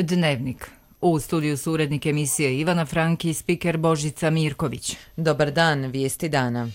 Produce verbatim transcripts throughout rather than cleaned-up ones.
Dnevnik. U studiju su urednik emisije Ivana Franki i spiker Božica Mirković. Dobar dan, vijesti dana.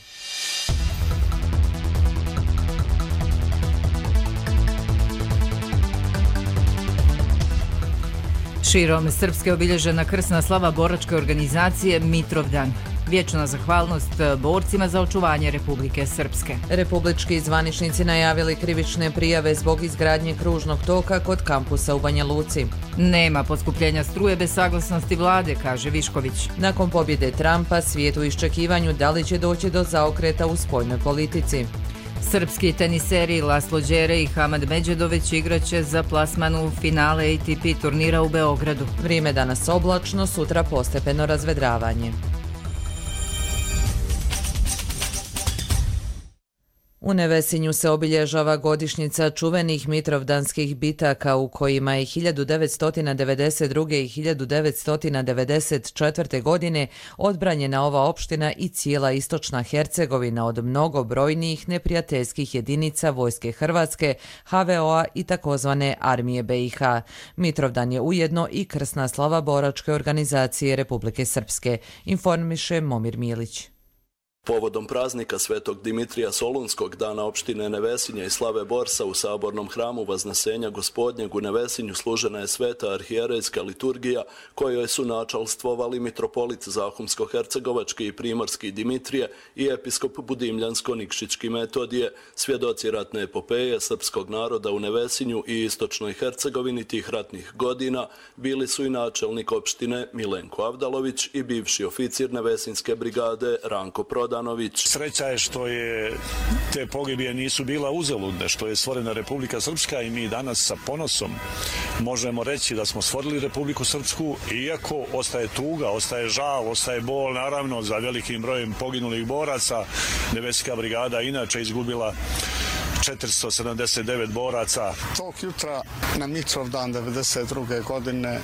Širom Srpske obilježena krsna slava boračke organizacije Mitrovdan. Vječna zahvalnost borcima za očuvanje Republike Srpske. Republički zvaničnici najavili krivične prijave zbog izgradnje kružnog toka kod kampusa u Banja Luci. Nema poskupljenja struje bez saglasnosti vlade, kaže Višković. Nakon pobjede Trumpa, svijet u iščekivanju da li će doći do zaokreta u spoljnoj politici. Srpski teniseri Laslo Đere i Hamad Međedović igraće za plasman u finale A T P turnira u Beogradu. Vrijeme danas oblačno, sutra postepeno razvedravanje. U Nevesinju se obilježava godišnjica čuvenih mitrovdanskih bitaka u kojima je hiljadu devetsto devedeset druge. i hiljadu devetsto devedeset četvrte. godine odbranjena ova opština i cijela istočna Hercegovina od mnogobrojnijih neprijateljskih jedinica Vojske Hrvatske, H V O-a i takozvane Armije B i H. Mitrovdan je ujedno i krsna slava boračke organizacije Republike Srpske, informiše Momir Milić. Povodom praznika Svetog Dimitrija Solunskog, dana opštine Nevesinje i slave Borsa u sabornom hramu Vaznesenja Gospodnjeg u Nevesinju služena je sveta arhijerejska liturgija kojoj su načalstvovali mitropolit Zahumsko-hercegovački i primorski Dimitrije i episkop Budimljansko-Nikšićki Metodije, svjedoci ratne epopeje srpskog naroda u Nevesinju i istočnoj Hercegovini tih ratnih godina bili su i načelnik opštine Milenko Avdalović i bivši oficir Nevesinske brigade Ranko Prodan. Sreća je što je te pogibije nisu bila uzaludne, što je stvorena Republika Srpska i mi danas sa ponosom možemo reći da smo stvorili Republiku Srpsku, iako ostaje tuga, ostaje žal, ostaje bol naravno za velikim brojem poginulih boraca. Nevesinska brigada inače izgubila četiristo sedamdeset devet boraca. Tog jutra na Mitrovdan devedeset druge. godine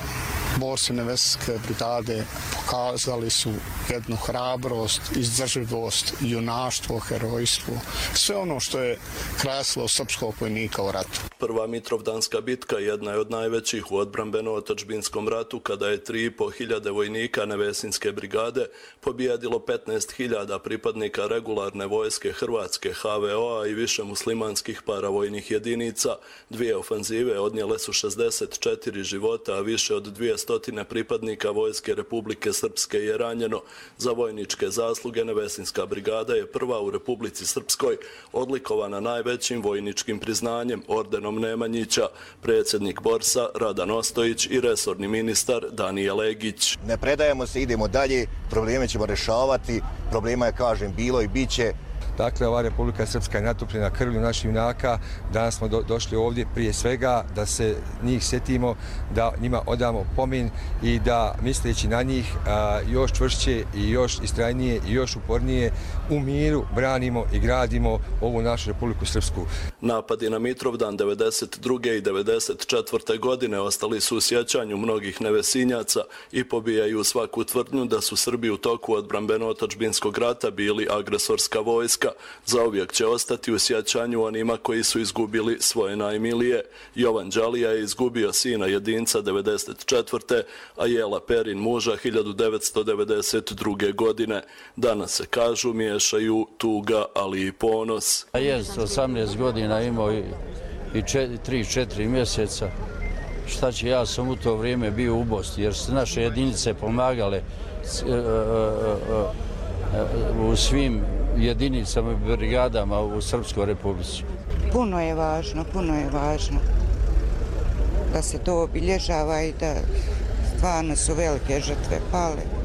borci Nevesinske brigade pokazali su jednu hrabrost, izdržljivost, junaštvo, herojstvo, sve ono što je krasilo srpskog vojnika u ratu. Prva Mitrovdanska bitka jedna je od najvećih u odbrambeno-otadžbinskom ratu, kada je tri i po hiljade vojnika Nevesinske brigade pobijedilo petnaest hiljada pripadnika regularne vojske Hrvatske, H V O-a i više muslimanskih paravojnih jedinica. Dvije ofanzive odnijele su šezdeset četiri života, a više od dvjesto pripadnika Vojske Republike Srpske je ranjeno. Za vojničke zasluge Nevesinska brigada je prva u Republici Srpskoj odlikovana najvećim vojničkim priznanjem, ordenom Nemanjića. Predsjednik Borsa Radan Ostojić i resorni ministar Danijel Legić. Ne predajemo se, idemo dalje, probleme ćemo rješavati, problema je, kažem, bilo i bit će. Dakle, ova Republika Srpska je natopljena krvlju naših junaka. Danas smo do, došli ovdje prije svega da se njih sjetimo, da njima odamo pomin i da, misleći na njih, a, još čvršće i još istrajnije i još upornije u miru branimo i gradimo ovu našu Republiku Srpsku. Napadi na Mitrovdan devedeset druge. i devedeset četvrte. godine ostali su u sjećanju mnogih Nevesinjaca i pobijaju svaku tvrdnju da su Srbi u toku odbrambeno-otadžbinskog rata bili agresorska vojska. Zauvijek će ostati u sjećanju onima koji su izgubili svoje najmilije. Jovan Đalija je izgubio sina jedinca devedeset četvrte. a Jela Perin muža hiljadu devetsto devedeset druge. godine. Danas se, kažu, miješaju tuga, ali i ponos. Jest, osamnaest godina imao i, i tri četiri mjeseca. Šta će, ja sam u to vrijeme bio u Bosni, jer su naše jedinice pomagale u svim jedinicama i brigadama u Srpskoj Republici. Puno je važno, puno je važno da se to obilježava i da stvarno su velike žrtve pale.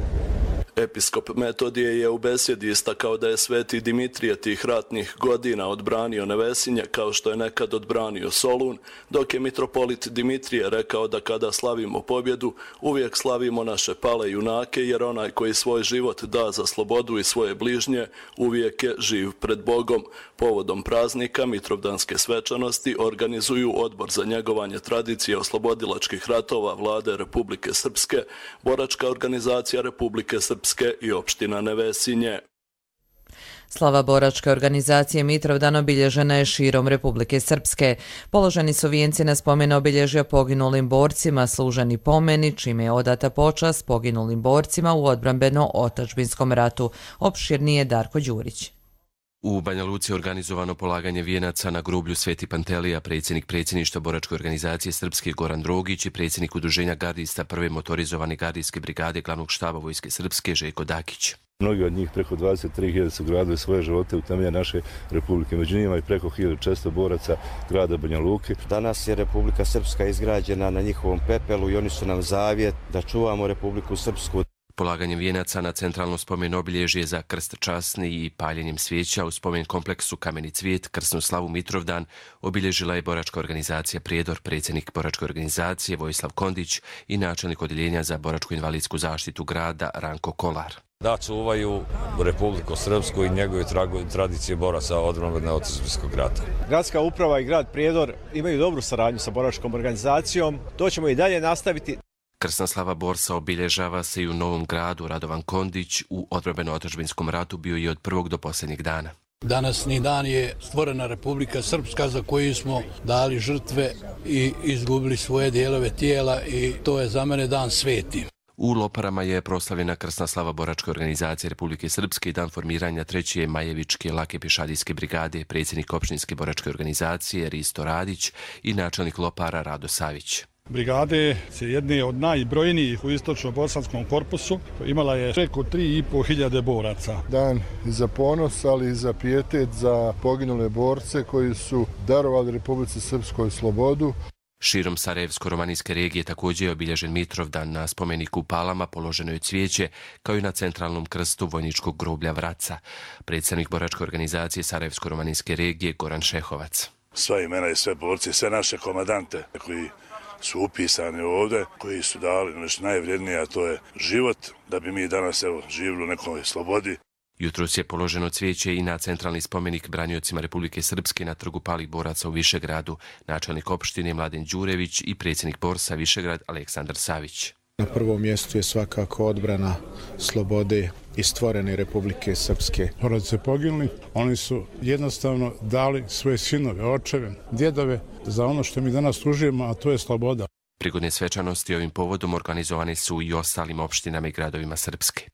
Episkop Metodije je u besjedi istakao da je sveti Dimitrije tih ratnih godina odbranio Nevesinje kao što je nekad odbranio Solun, dok je mitropolit Dimitrije rekao da kada slavimo pobjedu, uvijek slavimo naše pale junake, jer onaj koji svoj život da za slobodu i svoje bližnje, uvijek je živ pred Bogom. Povodom praznika Mitrovdanske svečanosti organizuju Odbor za njegovanje tradicije oslobodilačkih ratova Vlade Republike Srpske, Boračka organizacija Republike Srpske i opština Nevesinje. Slava boračke organizacije Mitrovdan obilježena je širom Republike Srpske. Položeni su vijenci na spomen obilježja poginulim borcima, služeni pomeni, čime je odata počast poginulim borcima u odbrambeno-otadžbinskom ratu. Opširnije Darko Đurić. U Banja Luci je organizovano polaganje vijenaca na groblju Sveti Pantelija, predsjednik predsjedništva boračke organizacije Srpske Goran Drogić i predsjednik udruženja gardista prve motorizovane gardijske brigade glavnog štaba Vojske Srpske Željko Dakić. Mnogi od njih, preko dvadeset tri hiljade, su gradili svoje živote u temelje naše republike. Među njima i preko hiljadu četiristo boraca grada Banja Luke. Danas je Republika Srpska izgrađena na njihovom pepelu i oni su nam zavjet da čuvamo Republiku Srpsku. Polaganjem vijenaca na centralno spomen obilježje za krst časni i paljenjem svijeća u spomen kompleksu Kameni cvijet, krsnu slavu Mitrovdan obilježila je boračka organizacija Prijedor, predsjednik boračke organizacije Vojislav Kondić i načelnik odjeljenja za boračku invalidsku zaštitu grada Ranko Kolar. Da čuvaju Republiku Srpsku i njegove tradicije boraca odbrambeno-otadžbinskog rata. Gradska uprava i grad Prijedor imaju dobru saradnju sa boračkom organizacijom. To ćemo i dalje nastaviti. Krsna slava borca obilježava se i u Novom Gradu. Radovan Kondić u odbrambeno-otadžbinskom ratu bio je od prvog do posljednjeg dana. Danasni dan je stvorena Republika Srpska za koju smo dali žrtve i izgubili svoje dijelove tijela i to je za mene dan sveti. U Loparama je proslavljena krsna slava boračke organizacije Republike Srpske i dan formiranja treće Majevičke lake pješadijske brigade, predsjednik opštinske boračke organizacije Risto Radić i načelnik Lopara Rado Savić. Brigade je jedne od najbrojnijih u istočno-bosanskom korpusu. Imala je preko tri i po hiljade boraca. Dan za ponos, ali i za pijetet za poginule borce koji su darovali Republici Srpskoj slobodu. Širom Sarajevsko-romanijske regije također je obilježen Mitrovdan. Na spomeniku Palama položeno je cvijeće, kao i na centralnom krstu vojničkog groblja Vraca. Predsjednik boračke organizacije Sarajevsko-romanijske regije Goran Šehovac. Sva imena i sve borci, sve naše komadante koji su upisani ovdje, koji su dali nešto najvrijednije, a to je život, da bi mi danas evo, živjeli u nekoj slobodi. Jutros je položeno cvijeće i na centralni spomenik branjocima Republike Srpske na trgu palih boraca u Višegradu, načelnik opštine Mladen Đurević i predsjednik borsa Višegrad Aleksandar Savić. Na prvom mjestu je svakako odbrana slobode i stvorene Republike Srpske. Borci poginuli, oni su jednostavno dali svoje sinove, očeve, djedove za ono što mi danas tužujemo, a to je sloboda. Prigodne svečanosti ovim povodom organizovane su i ostalim opštinama i gradovima Srpske.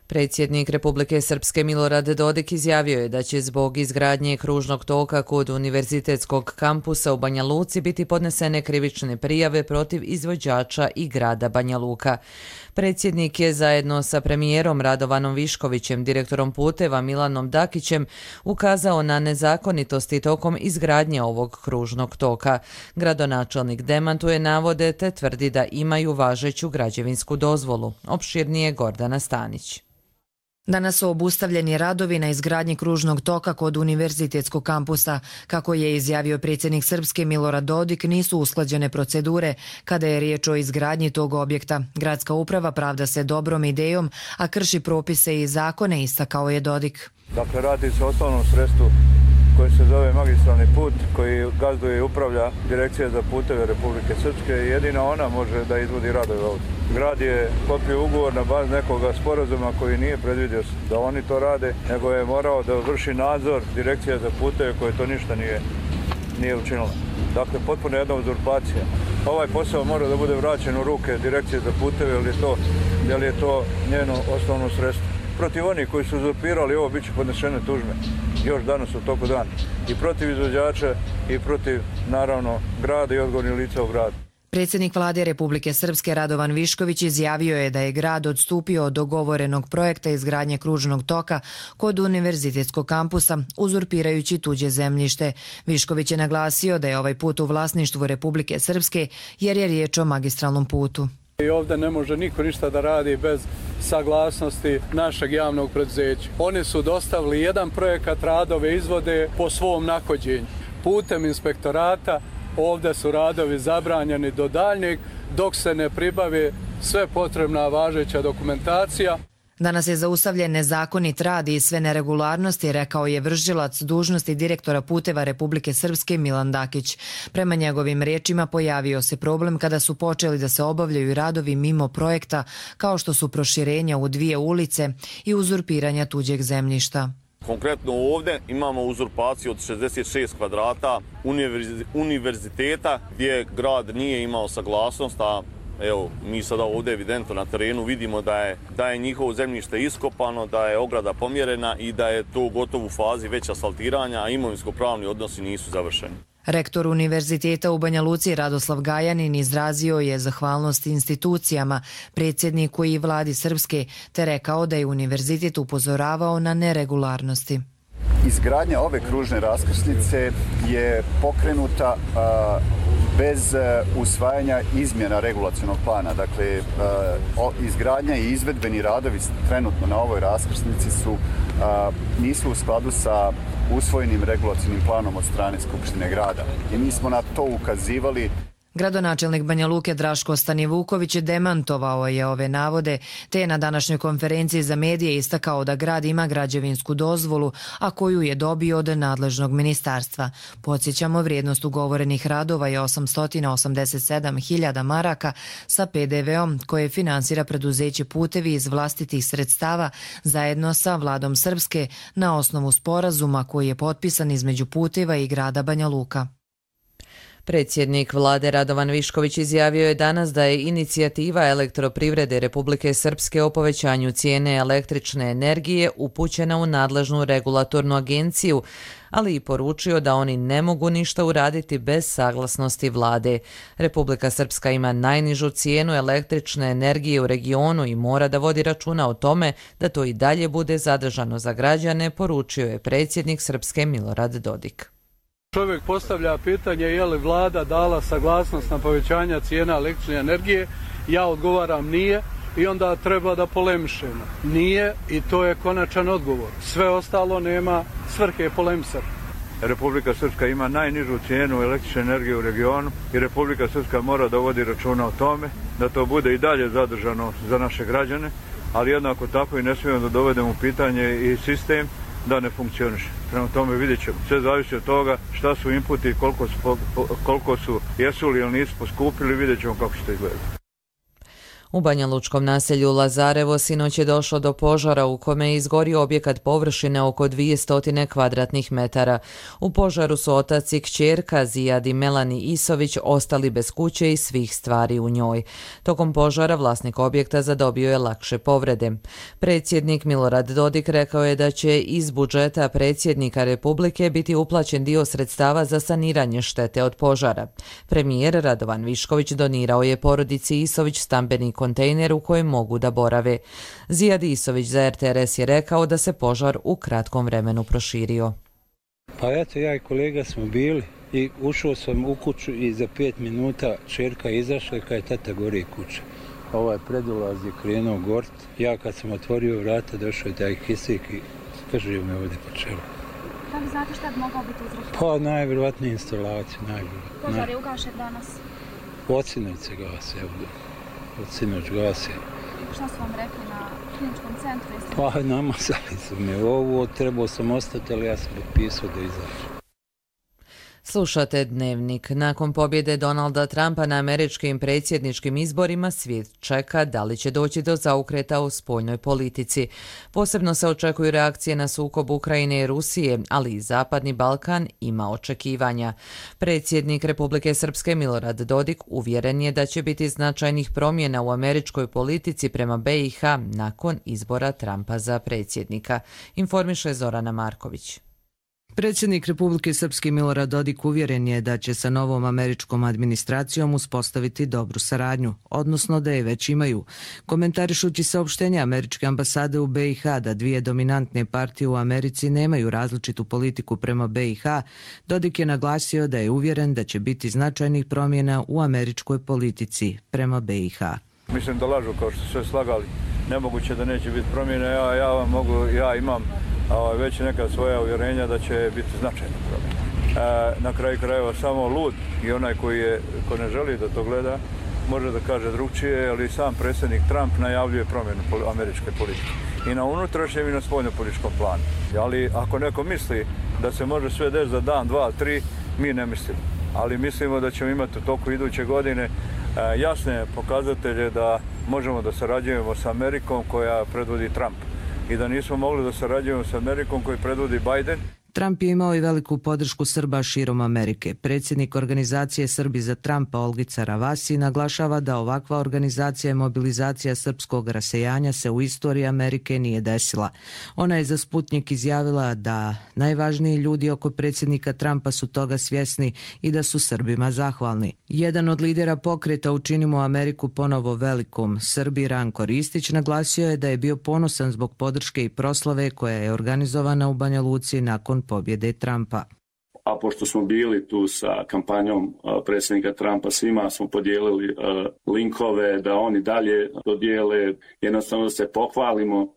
Predsjednik Republike Srpske Milorad Dodik izjavio je da će zbog izgradnje kružnog toka kod univerzitetskog kampusa u Banja Luci biti podnesene krivične prijave protiv izvođača i grada Banja Luka. Predsjednik je zajedno sa premijerom Radovanom Viškovićem, direktorom puteva Milanom Dakićem ukazao na nezakonitosti tokom izgradnje ovog kružnog toka. Gradonačelnik demantuje navode te tvrdi da imaju važeću građevinsku dozvolu. Opširnije Gordana Stanić. Danas su obustavljeni radovi na izgradnji kružnog toka kod univerzitetskog kampusa. Kako je izjavio predsjednik Srpske Milorad Dodik, nisu usklađene procedure kada je riječ o izgradnji tog objekta. Gradska uprava pravda se dobrom idejom, a krši propise i zakone, istakao je Dodik. Dakle, radi se o osnovnom sredstvu koji se zove magistralni put, koji gazduje i upravlja Direkcija za puteve Republike Srpske i jedina ona može da izvodi radove ovdje. Grad je sklopio ugovor na bazi nekoga sporazuma koji nije predvidio da oni to rade, nego je morao da vrši nadzor Direkcija za puteve koje to ništa nije, nije učinila. Dakle, potpuno jedna uzurpacija. Ovaj posao mora da bude vraćen u ruke Direkcije za puteve, jer je to, jer je to njeno osnovno sredstvo. Protiv onih koji su uzurpirali ovo bit će podnešene tužbe još danas u toku dana. I protiv izvođača i protiv, naravno, grada i odgovornih lica u gradu. Predsjednik vlade Republike Srpske Radovan Višković izjavio je da je grad odstupio od dogovorenog projekta izgradnje kružnog toka kod univerzitetskog kampusa, uzurpirajući tuđe zemljište. Višković je naglasio da je ovaj put u vlasništvu Republike Srpske jer je riječ o magistralnom putu. I ovdje ne može niko ništa da radi bez saglasnosti našeg javnog preduzeća. Oni su dostavili jedan projekat, radove izvode po svom nahođenju. Putem inspektorata ovdje su radovi zabranjeni do daljnjeg dok se ne pribave sve potrebna važeća dokumentacija. Danas je zaustavljen nezakonit rad i sve neregularnosti, rekao je vršilac dužnosti direktora puteva Republike Srpske Milan Dakić. Prema njegovim riječima pojavio se problem kada su počeli da se obavljaju radovi mimo projekta, kao što su proširenja u dvije ulice i uzurpiranja tuđeg zemljišta. Konkretno ovdje imamo uzurpaciju od šezdeset šest kvadrata univerziteta gdje grad nije imao saglasnost, a evo, mi sada ovdje evidentno na terenu vidimo da je, da je njihovo zemljište iskopano, da je ograda pomjerena i da je to gotovo u fazi već asfaltiranja, a imovinsko-pravni odnosi nisu završeni. Rektor Univerziteta u Banja Luci Radoslav Gajanin izrazio je zahvalnost institucijama, predsjedniku i vladi Srpske, te rekao da je univerzitet upozoravao na neregularnosti. Izgradnja ove kružne raskrsnice je pokrenuta a, bez a, usvajanja izmjena regulacionog plana. Dakle, a, o, izgradnja i izvedbeni radovi trenutno na ovoj raskrsnici su, a, nisu u skladu sa usvojenim regulacionim planom od strane Skupštine grada. I mi smo na to ukazivali. Gradonačelnik Banja Luke Draško Stanivuković demantovao je ove navode, te je na današnjoj konferenciji za medije istakao da grad ima građevinsku dozvolu, a koju je dobio od nadležnog ministarstva. Podsjećamo, vrijednost ugovorenih radova je osamsto osamdeset sedam hiljada maraka sa pe de veom koje finansira preduzeće Putevi iz vlastitih sredstava zajedno sa vladom Srpske na osnovu sporazuma koji je potpisan između Puteva i grada Banja Luka. Predsjednik vlade Radovan Višković izjavio je danas da je inicijativa Elektroprivrede Republike Srpske o povećanju cijene električne energije upućena u nadležnu regulatornu agenciju, ali i poručio da oni ne mogu ništa uraditi bez saglasnosti vlade. Republika Srpska ima najnižu cijenu električne energije u regionu i mora da vodi računa o tome da to i dalje bude zadržano za građane, poručio je predsjednik Srpske Milorad Dodik. Čovjek postavlja pitanje je li vlada dala saglasnost na povećanje cijena električne energije, ja odgovaram nije i onda treba da polemišemo. Nije i to je konačan odgovor. Sve ostalo nema svrhe polemisati. Republika Srpska ima najnižu cijenu električne energije u regionu i Republika Srpska mora da vodi računa o tome da to bude i dalje zadržano za naše građane, ali jednako tako i ne smijemo da dovedemo u pitanje i sistem da ne funkcioniše. Prema tome vidjet ćemo. Sve zavisi od toga šta su inputi, koliko su, koliko su, jesu li ili nisu poskupili, vidjet ćemo kako će to izgledati. U banjalučkom naselju Lazarevo sinoć je došlo do požara u kome je izgorio objekat površine oko dvjesto kvadratnih metara. U požaru su otac i kćerka Zijad i Melani Isović ostali bez kuće i svih stvari u njoj. Tokom požara vlasnik objekta zadobio je lakše povrede. Predsjednik Milorad Dodik rekao je da će iz budžeta predsjednika Republike biti uplaćen dio sredstava za saniranje štete od požara. Premijer Radovan Višković donirao je porodici Isović stambeni kontejner u kojem mogu da borave. Zijad Isović za er te er es je rekao da se požar u kratkom vremenu proširio. Pa eto, ja i kolega smo bili i ušao sam u kuću i za pet minuta čerka izašla i kada je tata gori kuća. Ovaj predulaz je krenuo gort. Ja kad sam otvorio vrata došao je taj kisik i skržio me ovdje po čelu. Da li znate šta bi mogao biti uzrok? Pa najvjerovatnije instalacije. Požar je ugašen danas? Od sinoć se gase, evo. Od sinoć gase. Šta su vam rekli na kliničkom centru? Pa namazali su me ovo, trebao sam ostati, ali ja sam potpisao da izađem. Slušate Dnevnik. Nakon pobjede Donalda Trumpa na američkim predsjedničkim izborima, svijet čeka da li će doći do zaokreta u spoljnoj politici. Posebno se očekuju reakcije na sukob Ukrajine i Rusije, ali i Zapadni Balkan ima očekivanja. Predsjednik Republike Srpske Milorad Dodik uvjeren je da će biti značajnih promjena u američkoj politici prema be i ha nakon izbora Trumpa za predsjednika, informiše Zorana Marković. Predsjednik Republike Srpske Milorad Dodik uvjeren je da će sa novom američkom administracijom uspostaviti dobru saradnju, odnosno da je već imaju. Komentarišući saopštenje američke ambasade u be i ha da dvije dominantne partije u Americi nemaju različitu politiku prema be i ha, Dodik je naglasio da je uvjeren da će biti značajnih promjena u američkoj politici prema be i ha. Mislim da lažu kao što su sve slagali. Nemoguće da neće biti promjene. Ja, ja vam mogu, ja imam već neka svoja uvjerenja da će biti značajna promjena. E, na kraju krajeva samo lud i onaj koji, je, ko ne želi da to gleda, može da kaže drugčije, ali sam predsjednik Trump najavljuje promjenu američke politike. I na unutrašnjem i na spoljnopolitičkom planu. Ali ako neko misli da se može sve desiti za dan, dva, tri, mi ne mislimo. Ali mislimo da ćemo imati u toku iduće godine jasne pokazatelje da možemo da sarađujemo s Amerikom koja predvodi Trump. I da nismo mogli da sarađujemo s Amerikom koji predvodi Biden. Trump je imao i veliku podršku Srba širom Amerike. Predsjednik organizacije Srbi za Trumpa Olgica Ravasi naglašava da ovakva organizacija i mobilizacija srpskog rasejanja se u istoriji Amerike nije desila. Ona je za Sputnik izjavila da najvažniji ljudi oko predsjednika Trumpa su toga svjesni i da su Srbima zahvalni. Jedan od lidera pokreta Učinimo Ameriku ponovo velikom, Srbi Ranko Ristić, naglasio je da je bio ponosan zbog podrške i proslave koja je organizovana u Banja Luci nakon pobjede Trumpa. A pošto smo bili tu sa kampanjom predsjednika Trumpa, svima smo podijelili linkove da oni dalje dodijele, jednostavno da se pohvalimo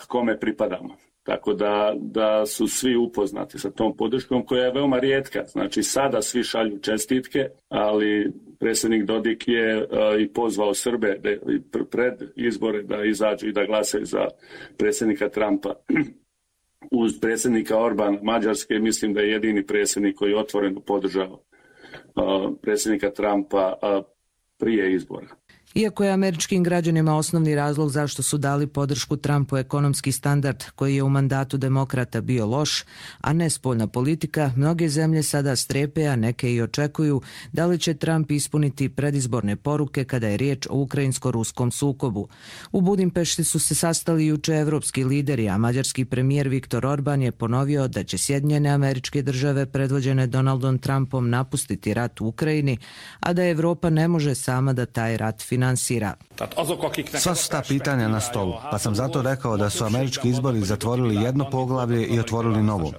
kome pripadamo. Tako da, da su svi upoznati sa tom podrškom koja je veoma rijetka. Znači sada svi šalju čestitke, ali predsjednik Dodik je uh, i pozvao Srbe da, pred izbore da izađu i da glasaju za predsjednika Trumpa. Uz predsjednika Orbana Mađarske mislim da je jedini predsjednik koji je otvoreno podržao uh, predsjednika Trumpa uh, prije izbora. Iako je američkim građanima osnovni razlog zašto su dali podršku Trumpu ekonomski standard koji je u mandatu demokrata bio loš, a ne spoljna politika, mnoge zemlje sada strepe, a neke i očekuju da li će Trump ispuniti predizborne poruke kada je riječ o ukrajinsko-ruskom sukobu. U Budimpešti su se sastali juče evropski lideri, a mađarski premijer Viktor Orban je ponovio da će Sjedinjene Američke Države predvođene Donaldom Trumpom napustiti rat u Ukrajini, a da Evropa ne može sama da taj rat finansira. Sva su ta pitanja na stolu, pa sam zato rekao da su američki izbori zatvorili jedno poglavlje i otvorili novo.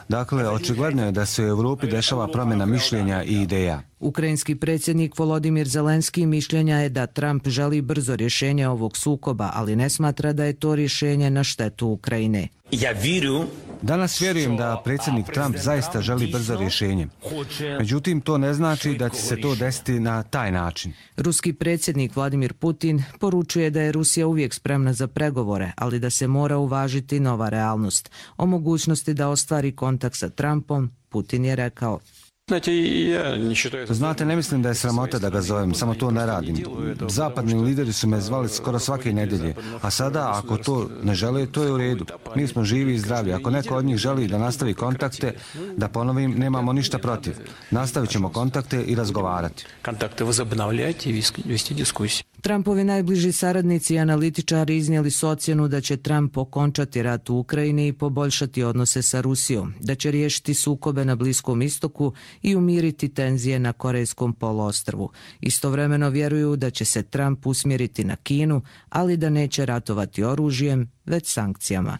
Dakle, očigledno je da se u Europi dešava promjena mišljenja i ideja. Ukrajinski predsjednik Volodimir Zelenski mišljenja je da Trump želi brzo rješenje ovog sukoba, ali ne smatra da je to rješenje na štetu Ukrajine. Danas vjerujem da predsjednik Trump zaista želi brzo rješenje. Međutim, to ne znači da će se to desiti na taj način. Ruski predsjednik Vladimir Putin poručuje da je Rusija uvijek spremna za pregovore, ali da se mora uvažiti nova realnost. O mogućnosti da ostvari kontakt sa Trumpom, Putin je rekao: Znate, ne mislim da je sramota da ga zovem, samo to ne radim. Zapadni lideri su me zvali skoro svake nedjelje, a sada ako to ne žele, to je u redu. Mi smo živi i zdravi. Ako neko od njih želi da nastavi kontakte, da ponovim, nemamo ništa protiv. Nastavit ćemo kontakte i razgovarati. Trumpovi najbliži saradnici i analitičari iznijeli su ocjenu da će Trump okončati rat u Ukrajini i poboljšati odnose sa Rusijom, da će riješiti sukobe na Bliskom istoku i umiriti tenzije na Korejskom poluostrvu. Istovremeno vjeruju da će se Trump usmjeriti na Kinu, ali da neće ratovati oružjem, već sankcijama.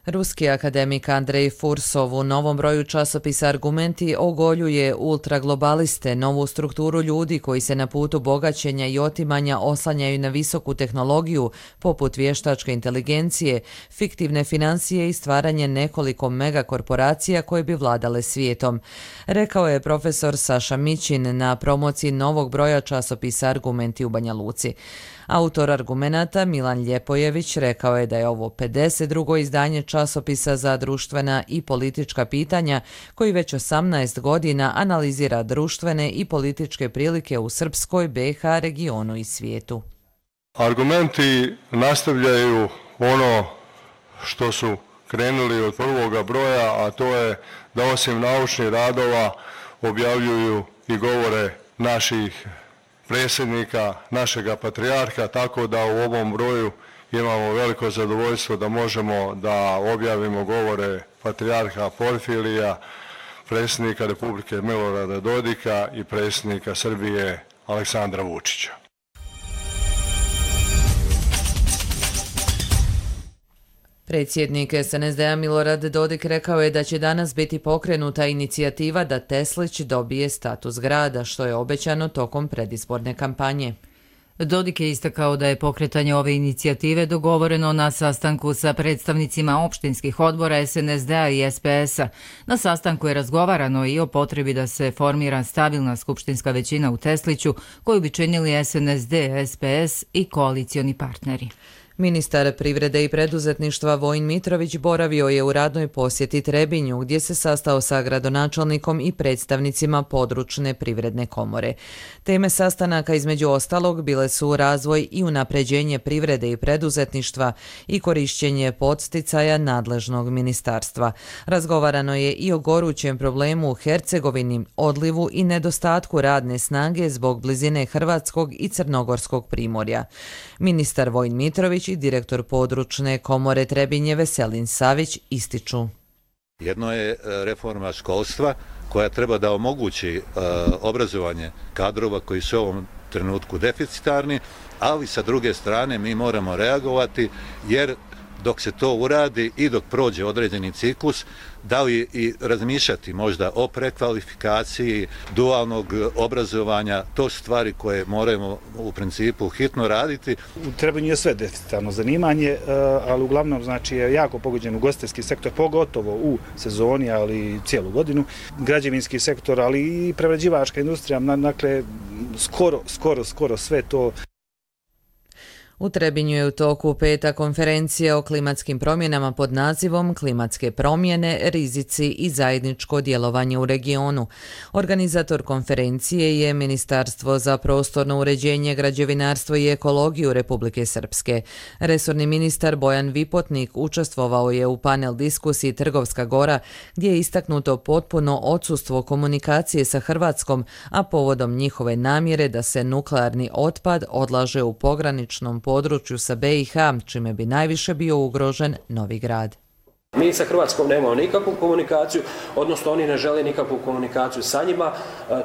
Ruski akademik Andrej Fursov u novom broju časopisa Argumenti ogoljuje ultraglobaliste, novu strukturu ljudi koji se na putu bogaćenja i otimanja oslanjaju na visoku tehnologiju poput vještačke inteligencije, fiktivne financije i stvaranje nekoliko megakorporacija koje bi vladale svijetom. Rekao je profesor Saša Mićin na promociji novog broja časopisa Argumenti u Banja Luci. Autor Argumenata Milan Ljepojević rekao je da je ovo pedeset drugo izdanje časopisa za društvena i politička pitanja koji već osamnaest godina analizira društvene i političke prilike u Srpskoj, B i H regionu i svijetu. Argumenti nastavljaju ono što su krenuli od prvoga broja, a to je da osim naučnih radova objavljuju i govore naših predsjednika, našega patrijarha, tako da u ovom broju imamo veliko zadovoljstvo da možemo da objavimo govore patrijarha Porfirija, predsjednika Republike Milorada Dodika i predsjednika Srbije Aleksandra Vučića. Predsjednik S N S D-a Milorad Dodik rekao je da će danas biti pokrenuta inicijativa da Teslić dobije status grada, što je obećano tokom predizborne kampanje. Dodik je istakao da je pokretanje ove inicijative dogovoreno na sastanku sa predstavnicima opštinskih odbora es en es de a i es pe es a. Na sastanku je razgovarano i o potrebi da se formira stabilna skupštinska većina u Tesliću, koju bi činili es en es de, es pe es i koalicioni partneri. Ministar privrede i preduzetništva Vojin Mitrović boravio je u radnoj posjeti Trebinju, gdje se sastao sa gradonačelnikom i predstavnicima područne privredne komore. Teme sastanaka između ostalog bile su razvoj i unapređenje privrede i preduzetništva i korišćenje podsticaja nadležnog ministarstva. Razgovarano je i o gorućem problemu u Hercegovini, odlivu i nedostatku radne snage zbog blizine Hrvatskog i Crnogorskog primorja. Ministar Vojin Mitrović i direktor područne komore Trebinje Veselin Savić ističu. Jedno je reforma školstva koja treba da omogući uh, obrazovanje kadrova koji su u ovom trenutku deficitarni, ali sa druge strane mi moramo reagovati jer dok se to uradi i dok prođe određeni ciklus, da li i razmišljati možda o prekvalifikaciji dualnog obrazovanja, to su stvari koje moramo u principu hitno raditi. U Trebinju je sve deficitarno zanimanje, ali uglavnom znači je jako pogođen ugostiteljski sektor, pogotovo u sezoni, ali cijelu godinu. Građevinski sektor, ali i prerađivačka industrija, dakle skoro, skoro, skoro sve to. U Trebinju je u toku peta konferencija o klimatskim promjenama pod nazivom Klimatske promjene, rizici i zajedničko djelovanje u regionu. Organizator konferencije je Ministarstvo za prostorno uređenje, građevinarstvo i ekologiju Republike Srpske. Resorni ministar Bojan Vipotnik učestvovao je u panel diskusiji Trgovska Gora, gdje je istaknuto potpuno odsustvo komunikacije sa Hrvatskom, a povodom njihove namjere da se nuklearni otpad odlaže u pograničnom području sa be i ha, čime bi najviše bio ugrožen Novi Grad. Mi sa Hrvatskom nemamo nikakvu komunikaciju, odnosno oni ne žele nikakvu komunikaciju sa njima.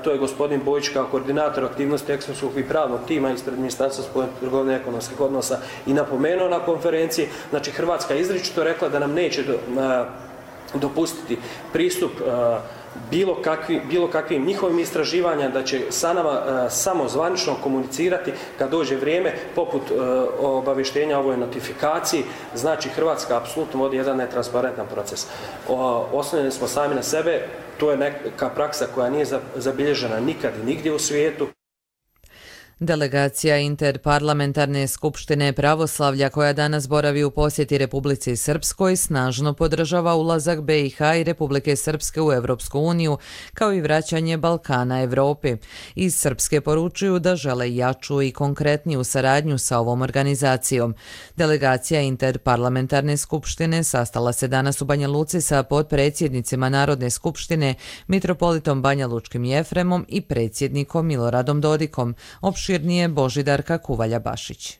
To je gospodin Bojić kao koordinator aktivnosti ekonomskog i pravnog tima ispred Ministarstva spoljne trgovine i ekonomskih odnosa i napomenuo na konferenciji. Znači Hrvatska je izričito rekla da nam neće do, dopustiti pristup bilo, kakvi, bilo kakvim njihovim istraživanja, da će sa nama uh, samo zvanično komunicirati kad dođe vrijeme, poput uh, obavještenja o ovoj notifikaciji. Znači Hrvatska apsolutno vodi jedan netransparentan proces. Uh, oslonjeni smo sami na sebe, to je neka praksa koja nije zabilježena nikad i nigdje u svijetu. Delegacija Interparlamentarne skupštine pravoslavlja koja danas boravi u posjeti Republici Srpskoj snažno podržava ulazak be i ha i Republike Srpske u Evropsku uniju, kao i vraćanje Balkana Evropi. Iz Srpske poručuju da žele jaču i konkretniju saradnju sa ovom organizacijom. Delegacija Interparlamentarne skupštine sastala se danas u Banja Luci sa potpredsjednicima Narodne skupštine, mitropolitom Banjalučkim Jefremom i predsjednikom Miloradom Dodikom. Opširnije Božidarka Kuvalja-Bašić.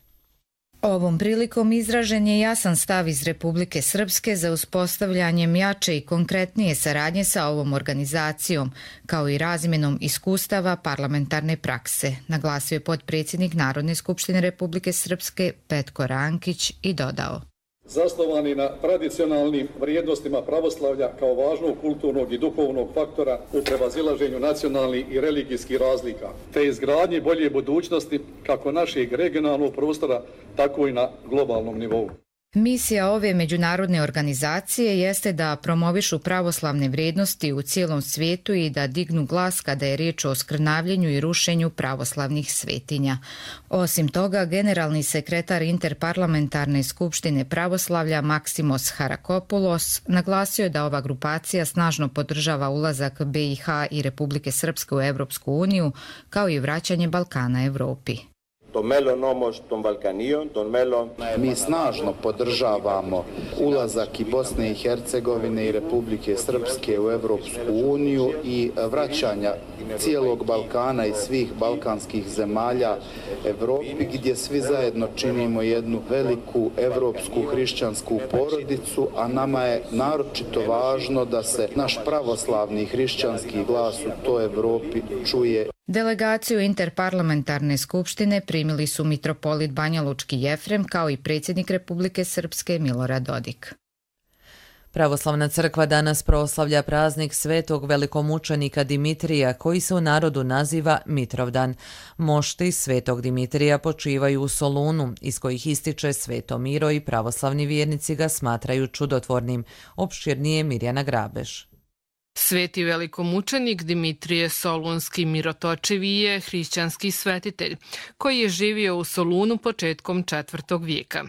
Ovom prilikom izražen je jasan stav iz Republike Srpske za uspostavljanjem jače i konkretnije saradnje sa ovom organizacijom, kao i razmjenom iskustava parlamentarne prakse, naglasio je potpredsjednik Narodne skupštine Republike Srpske Petko Rankić i dodao. Zasnovani na tradicionalnim vrijednostima pravoslavlja kao važnog kulturnog i duhovnog faktora u prevazilaženju nacionalnih i religijskih razlika, te izgradnji bolje budućnosti kako našeg regionalnog prostora, tako i na globalnom nivou. Misija ove međunarodne organizacije jeste da promovišu pravoslavne vrijednosti u cijelom svijetu i da dignu glas kada je riječ o skrnavljenju i rušenju pravoslavnih svetinja. Osim toga, generalni sekretar Interparlamentarne skupštine pravoslavlja Maksimos Harakopoulos naglasio je da ova grupacija snažno podržava ulazak be i ha i Republike Srpske u Evropsku uniju, kao i vraćanje Balkana Evropi. Mi snažno podržavamo ulazak i Bosne i Hercegovine i Republike Srpske u Evropsku uniju i vraćanja cijelog Balkana i svih balkanskih zemalja Evropi, gdje svi zajedno činimo jednu veliku evropsku hrišćansku porodicu, a nama je naročito važno da se naš pravoslavni hrišćanski glas u toj Evropi čuje. Delegaciju Interparlamentarne skupštine primili su mitropolit Banjalučki Jefrem kao i predsjednik Republike Srpske Milorad Dodik. Pravoslavna crkva danas proslavlja praznik svetog velikomučenika Dimitrija, koji se u narodu naziva Mitrovdan. Mošti svetog Dimitrija počivaju u Solunu, iz kojih ističe Sveto Miro i pravoslavni vjernici ga smatraju čudotvornim. Opširnije Mirjana Grabeš. Sveti velikomučenik Dimitrije Solunski Mirotočivi je hrišćanski svetitelj, koji je živio u Solunu početkom četvrtog vijeka.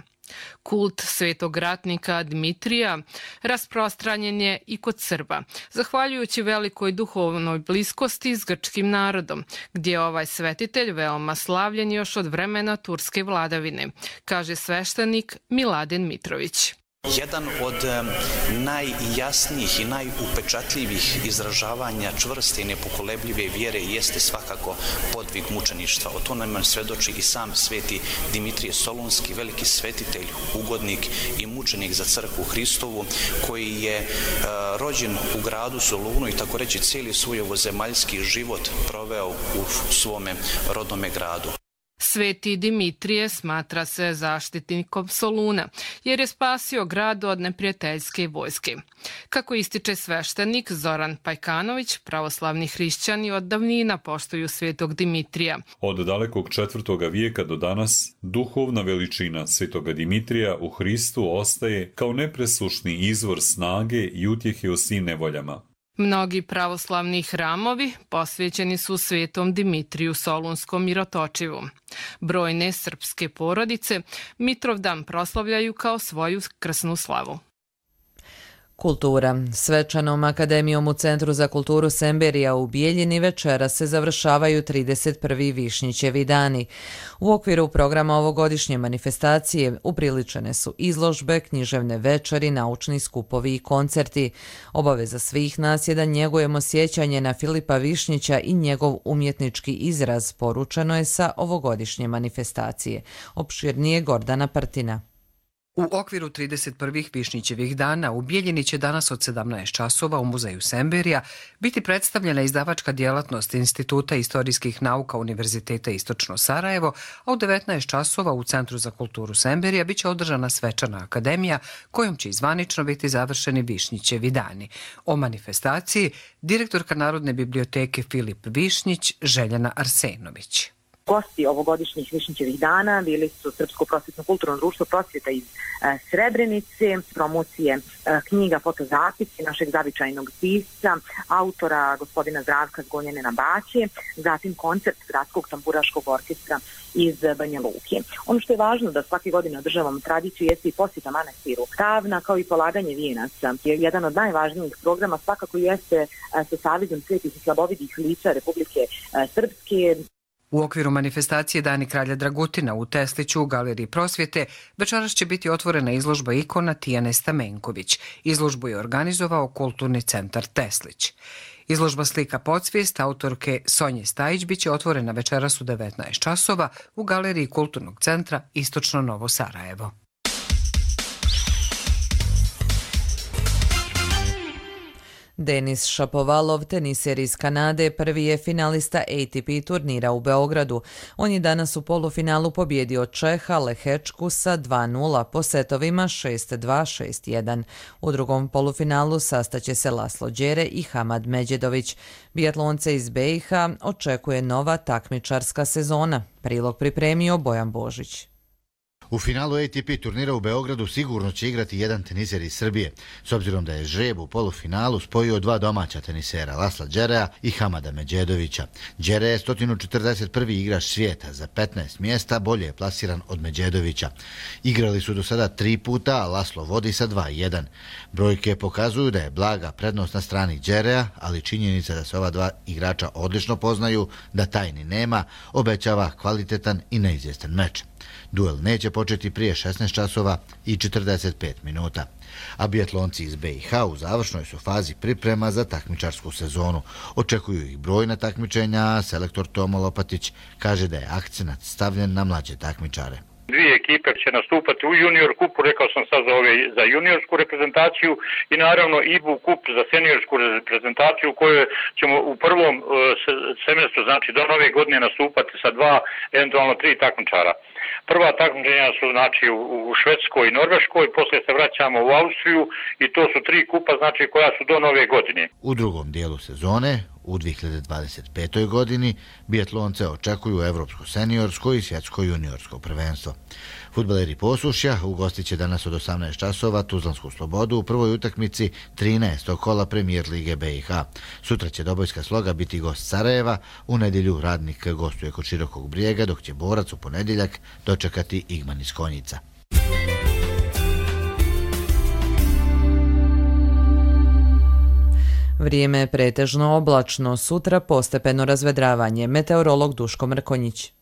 Kult svetog ratnika Dimitrija rasprostranjen je i kod Srba, zahvaljujući velikoj duhovnoj bliskosti s grčkim narodom, gdje je ovaj svetitelj veoma slavljen još od vremena turske vladavine, kaže sveštenik Miladin Mitrović. Jedan od najjasnijih i najupečatljivih izražavanja čvrste i nepokolebljive vjere jeste svakako podvig mučeništva. O to nam svedoči i sam sveti Dimitrije Solunski, veliki svetitelj, ugodnik i mučenik za crkvu Hristovu, koji je rođen u gradu Solunu i tako reći cijeli svoj ovozemaljski život proveo u svome rodnome gradu. Sveti Dimitrije smatra se zaštitnikom Soluna, jer je spasio grad od neprijateljske vojske. Kako ističe sveštenik Zoran Pajkanović, pravoslavni hrišćani od davnina poštuju svetog Dimitrija. Od dalekog četvrtoga vijeka do danas, duhovna veličina svetoga Dimitrija u Hristu ostaje kao nepresušni izvor snage i utjehe u svim nevoljama. Mnogi pravoslavni hramovi posvećeni su svetom Dimitriju Solunskom Mirotočivu. Brojne srpske porodice Mitrovdan proslavljaju kao svoju krsnu slavu. Kultura. Svečanom akademijom u Centru za kulturu Semberija u Bijeljini večera se završavaju trideset prvi Višnjićevi dani. U okviru programa ovogodišnje manifestacije upriličene su izložbe, književne večeri, naučni skupovi i koncerti. Obaveza svih nas je da njegujemo sjećanje na Filipa Višnjića i njegov umjetnički izraz, poručeno je sa ovogodišnje manifestacije. Opširnije Gordana Partina. U okviru trideset prvih Višnjićevih dana u Bijeljini će danas od sedamnaest časova u Muzeju Semberija biti predstavljena izdavačka djelatnost Instituta istorijskih nauka Univerziteta Istočno Sarajevo, a u devetnaest časova u Centru za kulturu Semberija biće održana svečana akademija kojom će izvanično biti završeni Višnjićevi dani. O manifestaciji direktorka Narodne biblioteke Filip Višnjić, Željana Arsenović. Gosti ovogodišnjih Višnjićevih dana bili su Srpsko prosvjetno kulturno društvo Prosvjeta iz e, Srebrenice, promocije e, knjiga, fotozapisi našeg zavičajnog pisca, autora gospodina Zdravka Zgonjene na Baće, zatim koncert Gradskog tamburaškog orkestra iz Banja Luke. Ono što je važno da svake godine održavamo tradiciju jeste i posjeta manastiru Ravna, kao i polaganje vijenaca. Jedan od najvažnijih programa svakako jeste e, sa Savezom svetih i slabovidih lica Republike e, Srpske. U okviru manifestacije Dani kralja Dragutina u Tesliću u Galeriji Prosvjete večeras će biti otvorena izložba ikona Tijane Stamenković. Izložbu je organizovao Kulturni centar Teslić. Izložba slika Podsvijest autorke Sonje Stajić biće otvorena večeras u devetnaest časova u Galeriji Kulturnog centra Istočno Novo Sarajevo. Denis Šapovalov, teniser iz Kanade, prvi je finalista A T P turnira u Beogradu. On je danas u polufinalu pobjedio Čeha Lehečku sa dva nula po setovima šest dva šest jedan. U drugom polufinalu sastaće se Laslo Đere i Hamad Međedović. Bijatlonce iz B i H očekuje nova takmičarska sezona. Prilog pripremio Bojan Božić. U finalu A T P turnira u Beogradu sigurno će igrati jedan teniser iz Srbije, s obzirom da je žreb u polufinalu spojio dva domaća tenisera, Lasla Đerea i Hamada Međedovića. Đere je sto četrdeset prvi igrač svijeta, za petnaest mjesta bolje je plasiran od Međedovića. Igrali su do sada tri puta, a Laslo vodi sa dva jedan. Brojke pokazuju da je blaga prednost na strani Đerea, ali činjenica da se ova dva igrača odlično poznaju, da tajni nema, obećava kvalitetan i neizvjestan meč. Duel neće početi prije šesnaest časova i četrdeset pet minuta. A bijatlonci iz B i H u završnoj su fazi priprema za takmičarsku sezonu. Očekuju ih brojna takmičenja, a selektor Tomo Lopatić kaže da je akcenat stavljen na mlađe takmičare. Dvije ekipe će nastupati u junior kupu, rekao sam sad za, ove, za juniorsku reprezentaciju i naravno I B U kup za seniorsku reprezentaciju u kojoj ćemo u prvom uh, semestru, znači do nove godine nastupati sa dva, eventualno tri takmičara. Prva takmičenja su znači u Švedskoj i Norveškoj, poslije se vraćamo u Austriju i to su tri kupa znači koja su do nove godine. U drugom dijelu sezone, u dvije hiljade dvadeset petoj godini, biatlonce očekuju evropsko seniorsko i svjetsko juniorsko prvenstvo. Fudbaleri Posušja ugostit će danas od osamnaest časova Tuzlansku Slobodu u prvoj utakmici trinaestog kola Premijer Lige B i H. Sutra će Dobojska Sloga biti gost Sarajeva, u nedjelju Radnik gostuje kod Širokog Brijega, dok će Borac u ponedjeljak dočekati Igman iz Konjica. Vrijeme je pretežno oblačno, sutra postepeno razvedravanje. Meteorolog Duško Mrkonjić.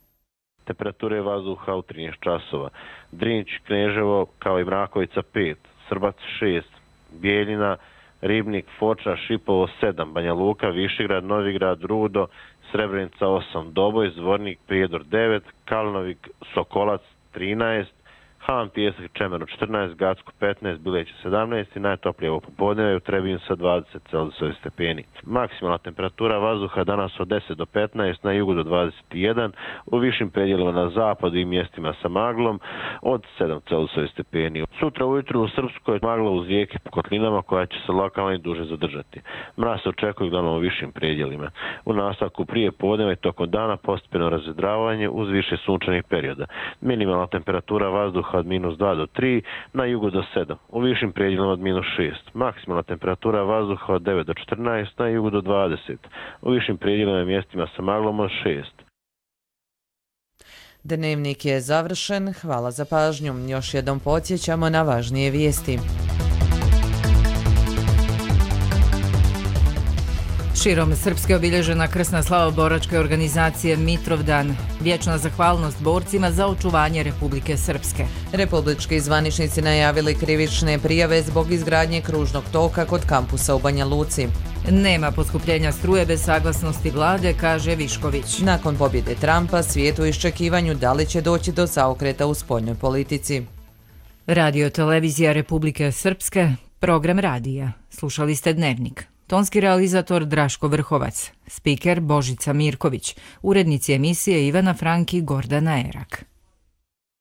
Temperature vazduha u trinaest časova. Drinć, Kneževo, kao i Mrakovica pet, Srbac šest, Bijeljina, Ribnik, Foča, Šipovo sedam, Banja Luka, Višegrad, Novigrad, Rudo, Srebrenica osam, Doboj, Zvornik, Prijedor devet, Kalnovik, Sokolac trinaest, Han, Pijesak, Čemeru četrnaest, Gacko petnaest, Bileće sedamnaest i najtoplije ovo popodneve u Trebinju sa dvadeset Celzijusovih stepeni. Maksimalna temperatura vazduha danas od deset do petnaest, na jugu do dvadeset jedan, u višim predjelima na zapadu i mjestima sa maglom od sedam Celzijusovih stepeni. Sutra ujutru u Srpskoj magla uz rijeke po kotlinama koja će se lokalno i duže zadržati. Mraz se očekuje uglavnom u višim predjelima. U nastavku prije podneva i tokom dana postepeno razvedravanje uz više sunčanih perioda. Minimalna temperatura vazduha od minus dva do tri, na jugu do sedam, u višim predjelima od minus šest. Maksimalna temperatura vazduha od devet do četrnaest, na jugu do dvadeset, u višim predjelima i mjestima sa maglom od šest. Dnevnik je završen, hvala za pažnju. Još jednom podsjećamo na važnije vijesti. Širom Srpske obilježena krsna slava boračke organizacije Mitrovdan. Vječna zahvalnost borcima za očuvanje Republike Srpske. Republički zvaničnici najavili krivične prijave zbog izgradnje kružnog toka kod kampusa u Banja Luci. Nema poskupljenja struje bez saglasnosti vlade, kaže Višković. Nakon pobjede Trumpa, svijet u iščekivanju da li će doći do zaokreta u spoljnoj politici. Radio televizija Republike Srpske, program radija. Slušali ste Dnevnik. Tonski realizator Draško Vrhovac, spiker Božica Mirković, urednici emisije Ivana Franki, Gordana Erak.